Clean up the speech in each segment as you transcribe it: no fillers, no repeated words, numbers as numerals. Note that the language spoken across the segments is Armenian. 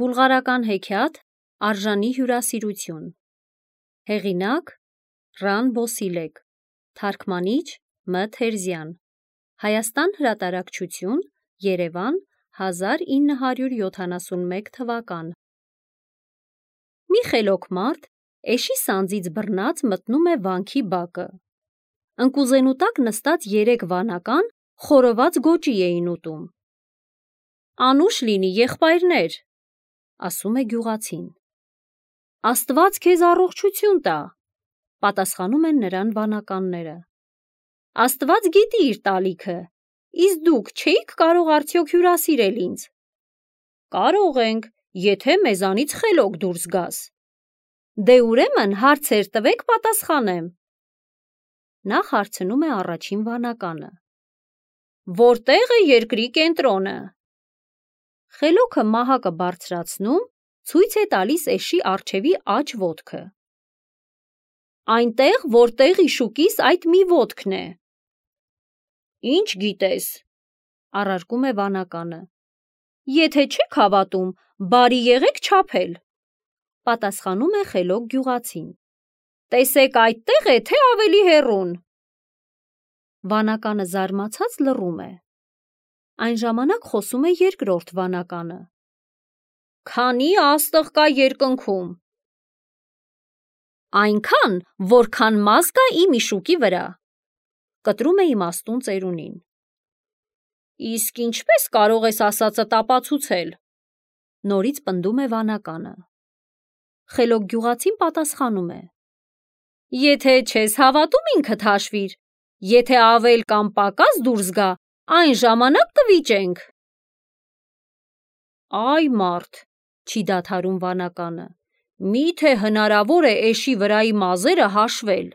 Բուլղարական հեքիաթ Արժանի հյուրասիրություն։ Հեղինակ Ռան Բոսիլեկ, թարգմանիչ Մ. Թերզյան, Հայաստան հրատարակչություն, Երևան, 1971 թվական։ Մի խելոք մարդ էշի սանձից բռնած մտնում է վանքի բակը։ Ընկուզենու տակ նստած 3 վանական խորոված գոճի էին ուտում։ «Անուշ լինի, եղբայրներ», ասում է գյուղացին։ «Աստված քեզ առողջություն տա», պատասխանում են նրան վանականները։ «Աստված գիտի իր տալիքը, իսկ դուք չէիք կարող արդյոք հյուրասիրել ինձ»։ «Կարող ենք, եթե մեզանից խելոք դուրս գաս»։ «Դե ուրեմն հարցեր տվեք, պատասխանեմ»։ Նա հարցնում է առաջին վանականը. «Որտե՞ղ է երկրի կենտրոնը»։ Խելոքը մահակը բարձրացնում, ցույց է տալիս էշի առջևի աջ ոտքը։ «Այնտեղ, որտեղ իշուկիս այդ մի ոտքն է»։ «Ինչ գիտես», առարկում է վանականը։ «Եթե չեք հավատում, բարի եղեք չափել», պատասխանում է խելոք գյուղացին։ «Տեսեք այդտեղ է, թե ավելի հեռուն»։ Վանականը զարմացած լռում է։ Այն ժամանակ խոսում է երկրորդ վանականը. «Քանի աստղ կա երկնքում»։ «Այնքան, որքան մազ կա իմ իշուկի վրա», կտրում է իմաստուն ծերունին։ «Իսկ ինչպես կարող ես ասածդ ապացուցել»։ Նորից պնդում է վանականը։ Խելոք գյուղացին պատասխանում է. «Եթե չես հավատում, ինքդ հաշվիր, եթե ավել կամ պակաս դուրս գա, այն ժամանակ կվիճենք»։ «Այ մարդ», չի դադարում վանականը, «միթե հնարավոր է էշի վրայի մազերը հաշվել»։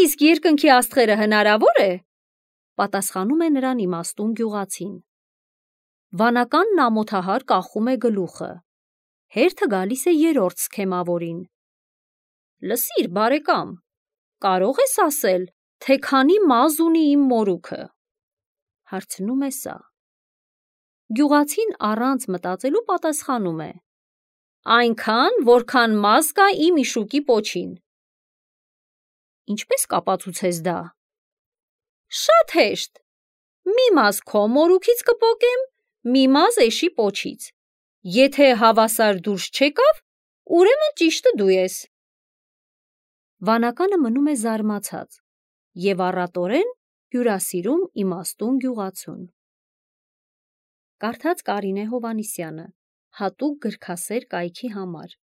«Իսկ երկնքի աստղերը հնարավոր է», պատասխանում է նրան իմաստուն գյուղացին։ Վանականն ամոթահար կախում է գլուխը։ Հերթը գալիս է երրորդ սքեմավորին. «Լսիր, բարեկամ, կարո՞ղ ես ասել, թե քանի մազ ունի իմ մորուքը»։ Հարցնում է սա։ Գյուղացին առանց մտածելու պատասխանում է. «Այնքան, որքան մազ կա իմ իշուկի պոչին»։ «Ինչպես կապացուցես դա»։ «Շատ հեշտ, մի մազ քո մորուքից կպոկեմ, մի մազ էշի պոչից։ Եթե հավասար դուրս չեկավ, ուրեմն ճիշտը դու ես»։ Վանականը մնում է զարմացած և առատորեն հյուրասիրում իմաստուն գյուղացուն։ Կարդաց Կարինե Հովհաննիսյանը, հատուկ գրքասեր կայքի համար։